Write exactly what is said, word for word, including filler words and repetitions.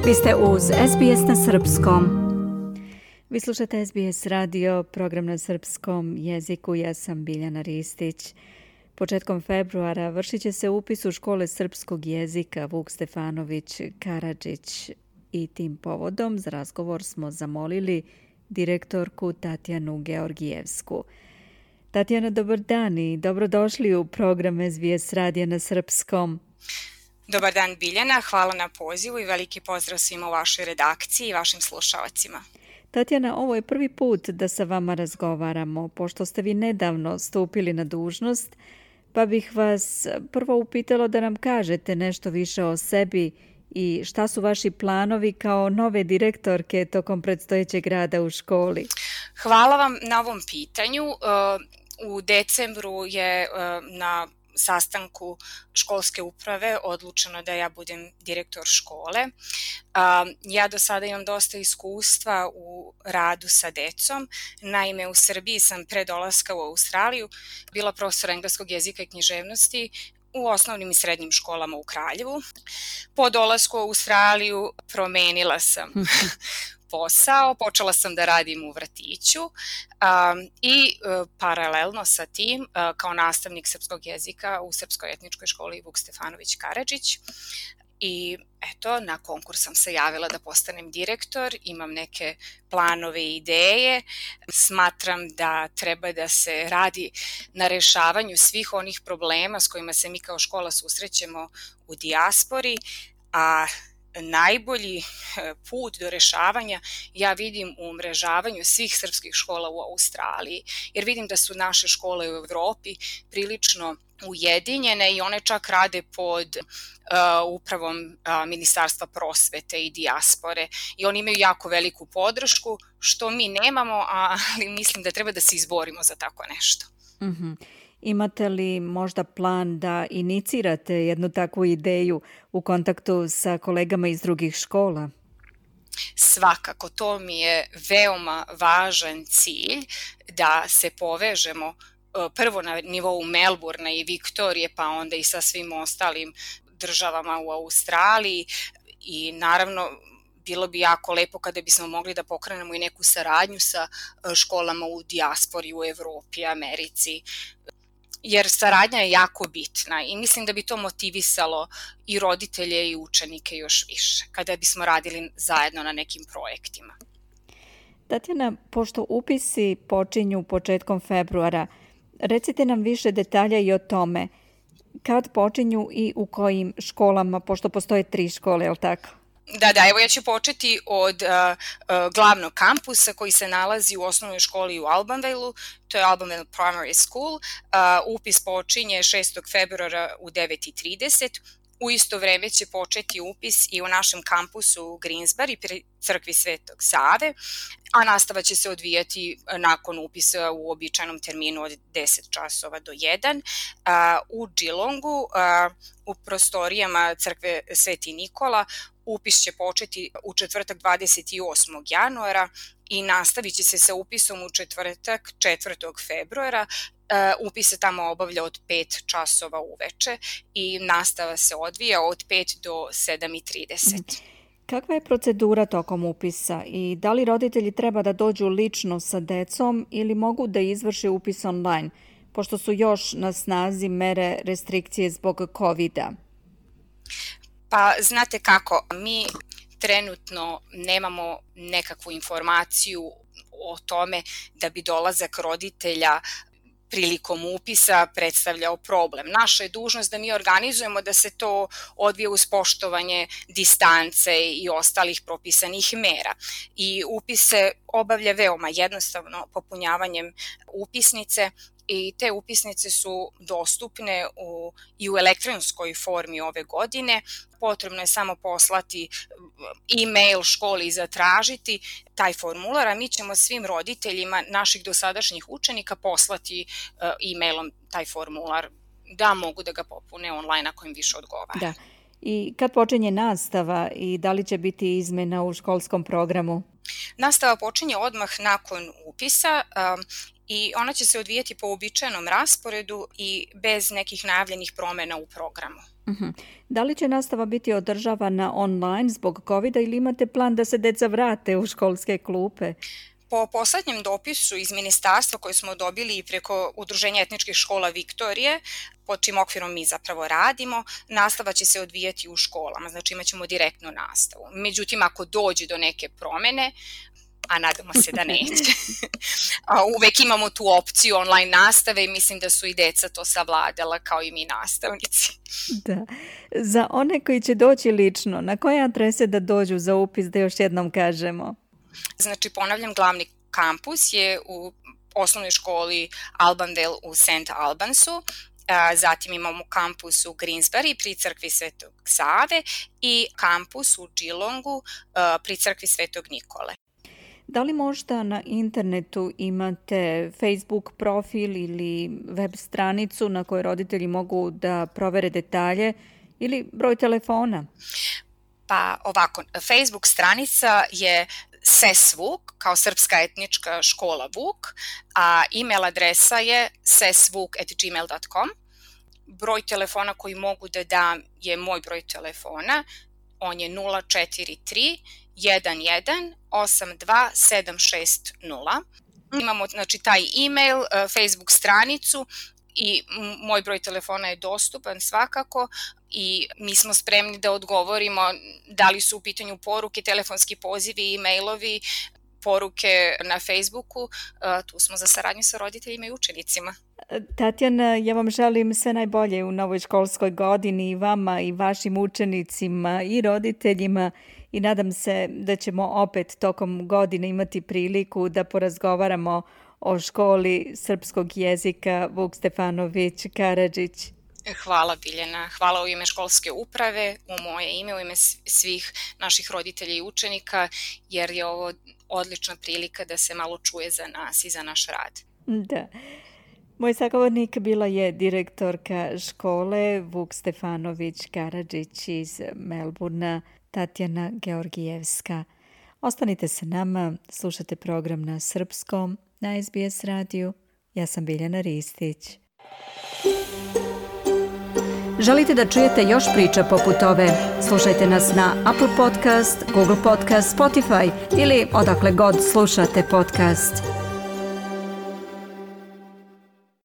Vi ste uz S B S na srpskom. Vi slušate S B S radio, program na srpskom jeziku. Ja sam Biljana Ristić. Početkom februara vršit će se upis u škole srpskog jezika Vuk Stefanović Karadžić i tim povodom za razgovor smo zamolili direktorku Tatjanu Georgijevsku. Tatjana, dobar dan i dobrodošli u program S B S radija na srpskom. Dobar dan Biljana, hvala na pozivu i veliki pozdrav svima u vašoj redakciji i vašim slušalacima. Tatjana, ovo je prvi put da sa vama razgovaramo, pošto ste vi nedavno stupili na dužnost, pa bih vas prvo upitala da nam kažete nešto više o sebi i šta su vaši planovi kao nove direktorke tokom predstojećeg rada u školi. Hvala vam na ovom pitanju. U decembru je na sastanku školske uprave odlučeno da ja budem direktor škole. Ja do sada imam dosta iskustva u radu sa decom. Naime, u Srbiji sam pre dolaska u Australiju bila profesor engleskog jezika i književnosti u osnovnim i srednjim školama u Kraljevu. Po dolasku u Australiju promenila sam posao, počela sam da radim u vrtiću um, i uh, paralelno sa tim uh, kao nastavnik srpskog jezika u Srpskoj etničkoj školi Vuk Stefanović Karadžić. I eto, na konkurs sam se javila da postanem direktor, imam neke planove i ideje, smatram da treba da se radi na rešavanju svih onih problema s kojima se mi kao škola susrećemo u dijaspori, a najbolji put do rešavanja ja vidim u umrežavanju svih srpskih škola u Australiji, jer vidim da su naše škole u Evropi prilično ujedinjene i one čak rade pod uh, upravom uh, Ministarstva prosvete i dijaspore i oni imaju jako veliku podršku, što mi nemamo, ali mislim da treba da se izborimo za tako nešto. Mm-hmm. Imate li možda plan da inicirate jednu takvu ideju u kontaktu sa kolegama iz drugih škola? Svakako, to mi je veoma važan cilj da se povežemo prvo na nivou Melburna i Viktorije, pa onda i sa svim ostalim državama u Australiji i naravno bilo bi jako lepo kada bismo mogli da pokrenemo i neku saradnju sa školama u dijaspori, u Evropi, Americi, jer saradnja je jako bitna i mislim da bi to motivisalo i roditelje i učenike još više kada bismo radili zajedno na nekim projektima. Tatjana, pošto upisi počinju početkom februara, recite nam više detalja i o tome kad počinju i u kojim školama, pošto postoje tri škole, je li tako? Da, da, evo ja ću početi od uh, uh, glavnog kampusa koji se nalazi u osnovnoj školi u Albanvale-u, to je Albanvale Primary School. Uh, upis počinje šestog februara u devet i trideset. U isto vreme će početi upis i u našem kampusu u Greensbury pri crkvi Svetog Save, a nastava će se odvijati nakon upisa u običajnom terminu od deset časova do jedan. U Geelongu, u prostorijama crkve Sveti Nikola, upis će početi u četvrtak dvadeset osmog januara i nastavit će se sa upisom u četvrtak četvrtog februara. Uh, upis se tamo obavlja od pet časova uveče i nastava se odvija od pet do sedam i trideset. Kakva je procedura tokom upisa i da li roditelji treba da dođu lično sa decom ili mogu da izvrše upis online, pošto su još na snazi mere restrikcije zbog kovida? Pa znate kako, mi trenutno nemamo nekakvu informaciju o tome da bi dolazak roditelja prilikom upisa predstavljao problem. Naša je dužnost da mi organizujemo da se to odvije uz poštovanje distance i ostalih propisanih mera. I upis se obavlja veoma jednostavno popunjavanjem upisnice i te upisnice su dostupne u, i u elektronskoj formi ove godine. Potrebno je samo poslati e-mail školi i zatražiti taj formular, a mi ćemo svim roditeljima naših dosadašnjih učenika poslati uh, e-mailom taj formular da mogu da ga popune online ako im više odgovara. Da. I kad počinje nastava i da li će biti izmena u školskom programu? Nastava počinje odmah nakon upisa um, i ona će se odvijati po uobičajenom rasporedu i bez nekih najavljenih promjena u programu. Uh-huh. Da li će nastava biti održavana online zbog covida ili imate plan da se deca vrate u školske klupe? Po poslednjem dopisu iz ministarstva koji smo dobili preko Udruženja etničkih škola Viktorije, pod čim okvirom mi zapravo radimo, nastava će se odvijati u školama, znači imat ćemo direktnu nastavu. Međutim, ako dođe do neke promene, a nadamo se da neće, a uvek imamo tu opciju online nastave i mislim da su i deca to savladala kao i mi nastavnici. Da. Za one koji će doći lično, na koje adrese da dođu za upis, da još jednom kažemo? Znači, ponavljam, glavni kampus je u osnovnoj školi Albanvale u Saint Albansu, zatim imamo kampus u Greensbury pri crkvi Svetog Save i kampus u Geelongu pri crkvi Svetog Nikole. Da li možda na internetu imate Facebook profil ili web stranicu na kojoj roditelji mogu da provere detalje ili broj telefona? Pa ovako, Facebook stranica je S E S Vuk, kao Srpska etnička škola Vuk, a e-mail adresa je sesvuk at gmail dot com. Broj telefona koji mogu da dam je moj broj telefona, on je nula četiri tri jedan jedan osam dva sedam šest nula. Imamo znači taj e-mail, Facebook stranicu i moj broj telefona je dostupan svakako i mi smo spremni da odgovorimo da li su u pitanju poruke, telefonski pozivi, e-mailovi, poruke na Facebooku. Tu smo za saradnju sa roditeljima i učenicima. Tatjana, ja vam želim sve najbolje u novoj školskoj godini i vama i vašim učenicima i roditeljima i nadam se da ćemo opet tokom godine imati priliku da porazgovaramo o školi srpskog jezika Vuk Stefanović Karadžić. Hvala Biljana, hvala u ime školske uprave, u moje ime, u ime svih naših roditelja i učenika, jer je ovo odlična prilika da se malo čuje za nas i za naš rad. Da. Moj sagovornik bila je direktorka škole Vuk Stefanović Karadžić iz Melburna, Tatjana Georgijevska. Ostanite sa nama, slušate program na srpskom, na S B S radiju. Ja sam Biljana Ristić. Želite da čujete još priča poput ove? Slušajte nas na Apple Podcast, Google Podcast, Spotify ili odakle god slušate podcast.